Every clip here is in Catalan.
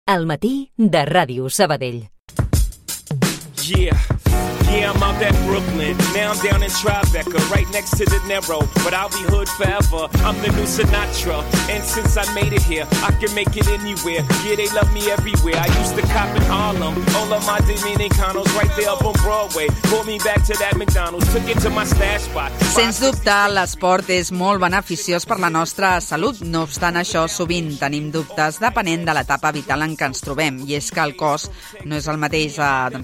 Al matí de Ràdio Sabadell. Yeah, I'm out at Brooklyn. Now I'm down in Tribeca, right next to De Niro. But I'll be hood forever. I'm the new Sinatra. And since I made it here, I can make it anywhere. Yeah, they love me everywhere. I used to cop in Harlem. All of my Dominicanos right there up on Broadway. Pulled me back to that McDonald's. Took it to my stash spot. Sens dubte, l'esport és molt beneficiós per la nostra salut. No obstant això, sovint tenim dubtes depenent de l'etapa vital en què ens trobem. I és que el cos no és el mateix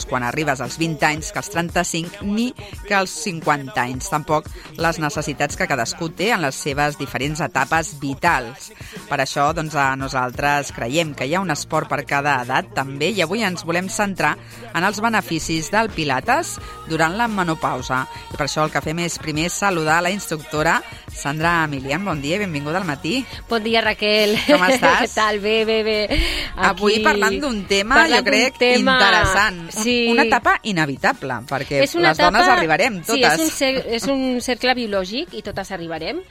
quan arribes als 20 anys que als 35 ni que als 50 anys. Tampoc les necessitats que cadascú té en les seves diferents etapes vitals. Per això, nosaltres creiem que hi ha un esport per cada edat també, i avui ens volem centrar en els beneficis del Pilates durant la menopausa. I per això el que fem és primer saludar la instructora Sandra Milian. Bon dia i benvinguda al matí. Bon dia, Raquel. Com estàs? Què tal? Bé. Avui parlant d'un tema, jo crec, interessant. Sí. Una etapa inevitable, perquè les dones arribarem totes. Sí, és un cercle biològic i totes arribarem.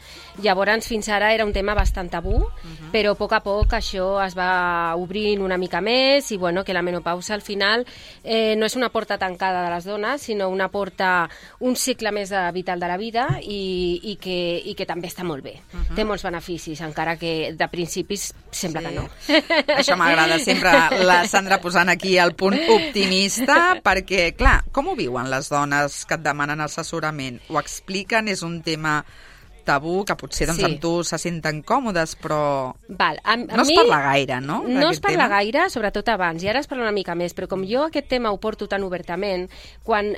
Llavors, fins ara era un tema bastant tabú, però a poc això es va obrint una mica més i que la menopausa al final no és una porta tancada de les dones, sinó una porta, un cicle més vital de la vida i que també està molt bé. Té molts beneficis, encara que de principis sembla que no. Això m'agrada sempre, la Sandra posant aquí el punt optimista, perquè, clar, com ho viuen les dones que et demanen assessorament? Ho expliquen? És un tema tabú, que potser amb tu se senten còmodes, però no es parla gaire, no? No es parla gaire, sobretot abans, i ara es parla una mica més, però com jo aquest tema ho porto tan obertament, quan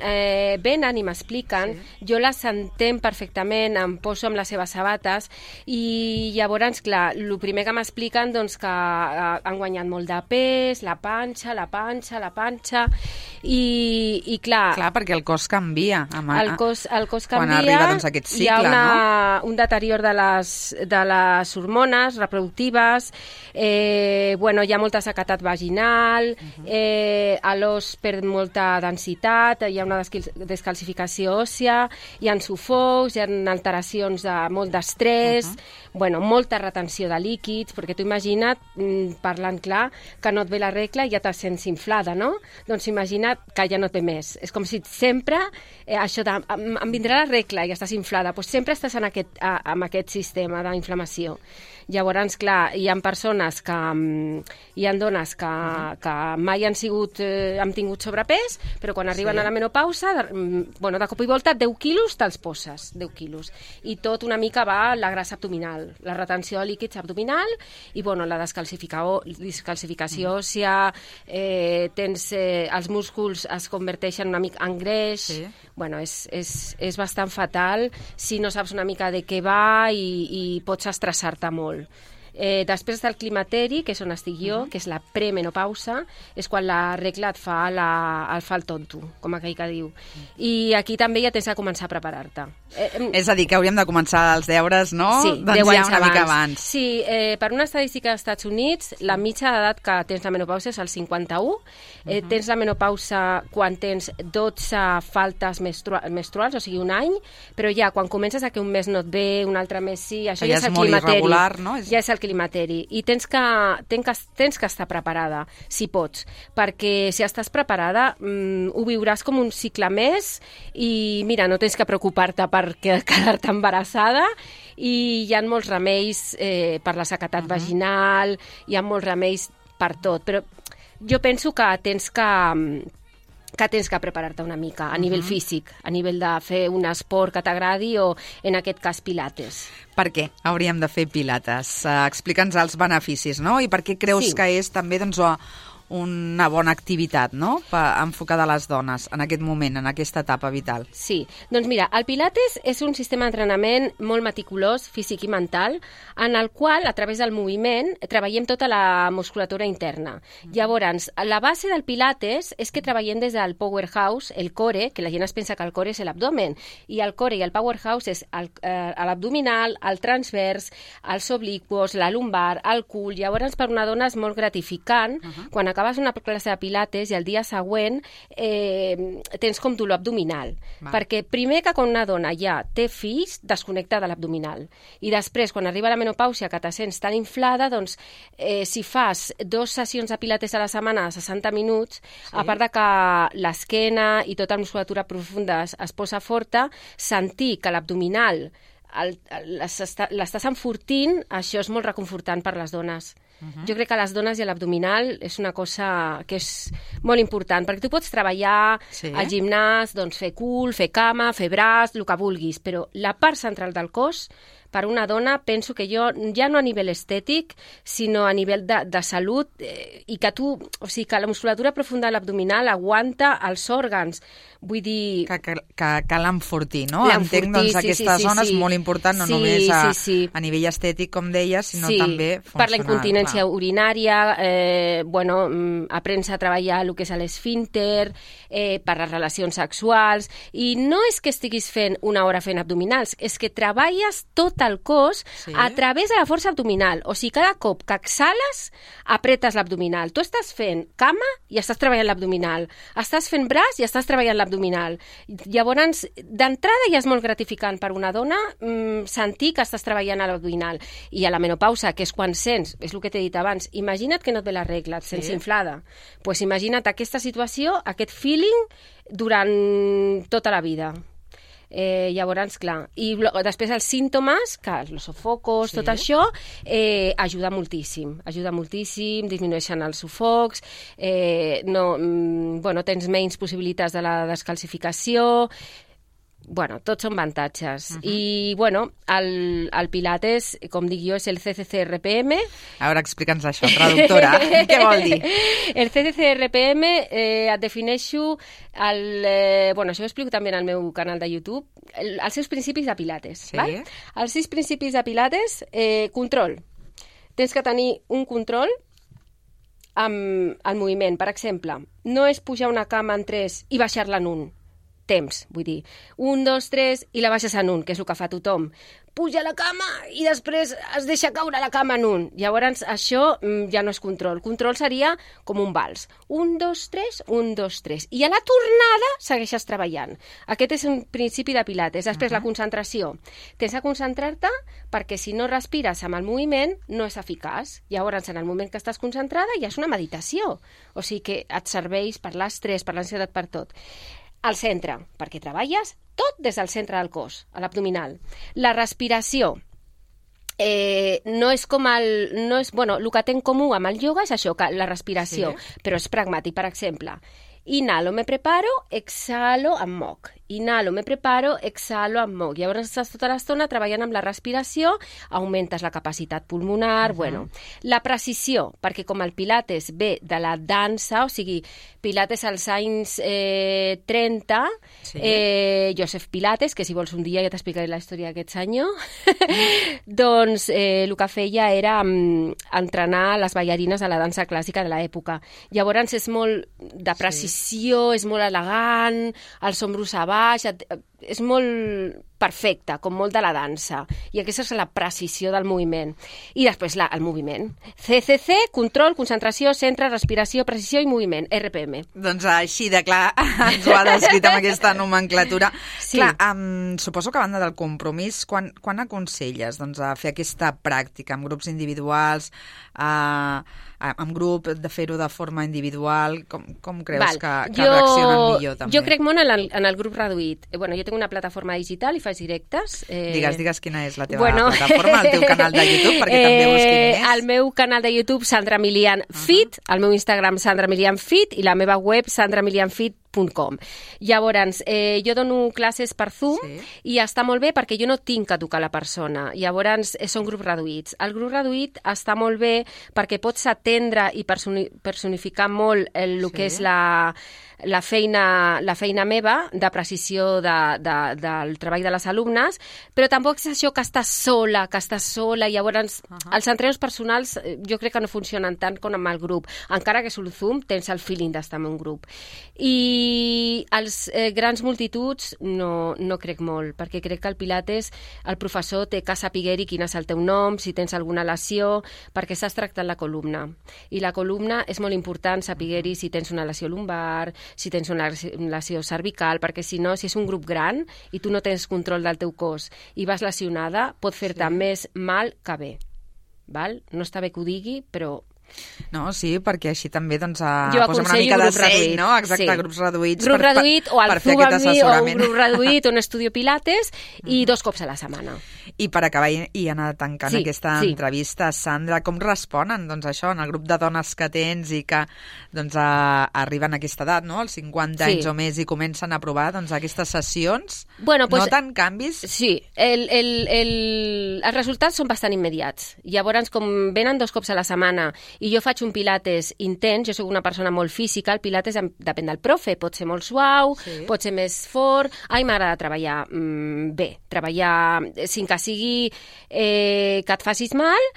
venen i m'expliquen, jo les entenc perfectament, em poso amb les seves sabates, i llavors, clar, el primer que m'expliquen, que han guanyat molt de pes, la panxa, i clar... Clar, perquè el cos canvia. El cos canvia. Quan arriba aquest cicle, no? Un deterior de les hormones reproductives, hi ha molta sequedat vaginal, l'os perd molta densitat, hi ha una descalcificació òssia, hi ha sufocs, hi ha alteracions molt d'estrès, molta retenció de líquids, perquè tu imagina't, parlant clar, que no et ve la regla i ja te sents inflada, no? Doncs imagina't que ja no et ve més. És com si sempre, això de, em vindrà la regla i estàs inflada, doncs sempre estàs amb aquest sistema d'inflamació. Llavors, clar, hi ha persones hi ha dones que mai han tingut sobrepès, però quan arriben a la menopausa, de cop i volta 10 quilos te'ls poses, 10 quilos. I tot una mica va la grassa abdominal, la retenció de líquids abdominal i la descalcificació òssia, els músculs es converteixen una mica en greix. És bastant fatal si no saps una mica de què va i pots estressar-te molt. Després del climateri, que és on estic jo, que és la premenopausa, és quan la regla et fa el tonto, com aquell que diu. I aquí també ja tens de començar a preparar-te. És a dir, que hauríem de començar els deures, no? Sí, 10 anys una mica abans. Sí, per una estadística dels Estats Units, la mitja d'edat que tens la menopausa és el 51. Tens la menopausa quan tens 12 faltes menstruals, o sigui, un any, però ja quan comences a que un mes no et ve, un altre mes sí, això ja és el climateri. Irregular, no? Ja és el climateri. I tens que estar preparada, si pots, perquè si estàs preparada ho viuràs com un cicle més i mira, no tens que preocupar-te per quedar-te embarassada i hi ha molts remeis per la sequedat vaginal, hi ha molts remeis per tot, però jo penso que tens que preparar-te una mica a nivell físic, a nivell de fer un esport que t'agradi o, en aquest cas, pilates. Per què hauríem de fer pilates? Explica'ns els beneficis, no? I per què creus que és també una bona activitat, no?, enfocada a les dones en aquest moment, en aquesta etapa vital. Sí, doncs mira, el Pilates és un sistema d'entrenament molt meticulós, físic i mental, en el qual, a través del moviment, treballem tota la musculatura interna. Llavors, la base del Pilates és que treballem des del powerhouse, el core, que la gent es pensa que el core és l'abdomen, i el core i el powerhouse és l'abdominal, el transvers, els obliquos, la lumbar, el cul. Llavors, per una dona és molt gratificant, quan acaba acabes una classe de pilates i el dia següent tens com dolor abdominal. Perquè primer que quan una dona ja té fills, desconnecta de l'abdominal. I després, quan arriba la menopàusia, que te sents tan inflada, doncs si fas 2 sessions de pilates a la setmana de 60 minuts, a part de que l'esquena i tota la musculatura profunda es posa forta, sentir que l'abdominal l'estàs enfortint, això és molt reconfortant per les dones. Jo crec que les dones i l'abdominal és una cosa que és molt important, perquè tu pots treballar al gimnàs, doncs fer cul, fer cama, fer braç, el que vulguis, però la part central del cos, per una dona, penso que jo, ja no a nivell estètic, sinó a nivell de salut, i que tu, o sigui, que la musculatura profunda de l'abdominal aguanta els òrgans. Vull dir... Que cal enfortir, no? Entenc, doncs, aquesta zona és molt important, no només a nivell estètic, com deies, sinó també funcional. Per la incontinència urinària, aprens a treballar el que és l'esfínter, per les relacions sexuals, i no és que estiguis fent una hora fent abdominals, és que treballes tot el cos a través de la força abdominal. O sigui, cada cop que exhales, apretes l'abdominal. Tu estàs fent cama i estàs treballant l'abdominal. Estàs fent braç i estàs treballant l'abdominal. Llavors, d'entrada ja és molt gratificant per una dona sentir que estàs treballant a l'abdominal. I a la menopausa, que és quan sents, és el que t'he dit abans, imagina't que no et ve la regla, et sents inflada. Doncs imagina't aquesta situació, aquest feeling, durant tota la vida. Llavors, clar, i després els símptomes, que els sofocos, tot això, ajuda moltíssim, disminueixen els sofocs, tens menys possibilitats de la descalcificació, tots són avantatges. I, el Pilates, com dic jo, és el CCC-RPM. A veure, explica'ns això, traductora. Què vol dir? El CCC-RPM et defineixo això ho explico també en el meu canal de YouTube, els seus principis de Pilates. Val? Els 6 principis de Pilates, control. Tens que tenir un control amb el moviment. Per exemple, no és pujar una cama en 3 i baixar-la en 1. Temps, vull dir, 1, 2, 3 i la baixes en 1, que és el que fa tothom. Puja a la cama i després es deixa caure la cama en 1. Llavors, això ja no és control. Control seria com un vals. 1, 2, 3, 1, 2, 3. I a la tornada segueixes treballant. Aquest és un principi de Pilates. Després, la concentració. Tens de concentrar-te perquè si no respires amb el moviment no és eficaç. Llavors, en el moment que estàs concentrada ja és una meditació. O sigui que et serveix per l'estrès, per l'ansietat, per tot. Al centre, perquè treballes tot des del centre del cos, a l'abdominal. La respiració no és com el que té en comú amb el ioga és això, que la respiració, però és pragmàtic. Per exemple, inhalo, me preparo, exhalo, em moc. Inhalo, me preparo, exhalo, em moc. Llavors estàs tota l'estona treballant amb la respiració, augmentes la capacitat pulmonar, la precisió, perquè com el Pilates ve de la dansa, o sigui, Pilates als anys 30, Joseph Pilates, que si vols un dia ja t'explicaré la història d'aquest senyor, doncs el que feia era entrenar les ballarines a la dansa clàssica de l'època. Llavors és molt de precisió, és molt elegant, els ombros a baix, és molt perfecte, com molt de la dansa. I aquesta és la precisió del moviment. I després el moviment. CCC, control, concentració, centre, respiració, precisió i moviment. RPM. Doncs així de clar ens ho ha descrit amb aquesta nomenclatura. Sí. Clar, suposo que a banda del compromís, quan aconselles a fer aquesta pràctica amb grups individuals, amb grup, de fer-ho de forma individual, com creus que reaccionen millor també? Jo crec molt en el grup reduït. Jo tinc una plataforma digital i faig directes. Digues quina és la teva plataforma, el teu canal de YouTube, perquè també busquin més. El meu canal de YouTube, Sandra Milian Fit, el meu Instagram, Sandra Milian Fit, i la meva web, sandramilianfit.com. Llavors, jo dono classes per Zoom i està molt bé perquè jo no tinc que tocar la persona. Llavors, són grups reduïts. El grup reduït està molt bé perquè pots atendre i personificar molt el que és la feina meva de precisió del treball de les alumnes, però tampoc és això que estàs sola, i llavors els entrenos personals jo crec que no funcionen tant com amb el grup, encara que sul Zoom tens el feeling d'estar en un grup. I I als grans multituds no crec molt, perquè crec que el Pilates el professor té que saber-hi quin és el teu nom, si tens alguna lesió, perquè estàs tractant la columna. I la columna és molt important saber-hi si tens una lesió lumbar, si tens una lesió cervical, perquè si no, si és un grup gran i tu no tens control del teu cos i vas lesionada, pot fer-te més mal que bé. Val? No està bé que ho digui, però... No, sí, perquè així també doncs, jo posem una mica de grup seny, reduït, no? Exacte, sí. Grups reduïts grup reduït o el Zumba amb mi, o un grup reduït, un estudio Pilates i 2 cops a la setmana. I per acabar i anar tancant aquesta entrevista, Sandra, com responen doncs, això en el grup de dones que tens i que doncs, arriben a aquesta edat, no? als 50 anys o més, i comencen a provar doncs, aquestes sessions? Bueno, pues, noten canvis? Sí, els resultats són bastant immediats. Llavors, com venen 2 cops a la setmana i jo faig un Pilates intens, jo soc una persona molt física, el Pilates depèn del profe, pot ser molt suau, pot ser més fort. A mi m'agrada treballar bé, treballar sin que sigui que et facis mal,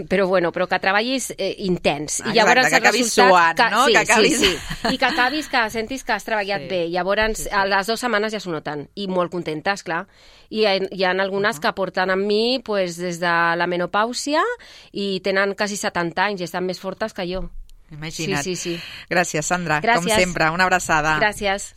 però que treballis intens. I llavors, que acabis suant, no? Sí, que acabis... sí. I que acabis, que sentis que has treballat bé. Llavors, a les 2 setmanes ja s'ho noten. I molt contentes, clar. I hi ha algunes que porten amb mi pues, des de la menopàusia i tenen quasi 70 anys i estan més fortes que jo. Imagina't. Sí. Gràcies, Sandra. Gràcies. Com sempre, una abraçada. Gràcies.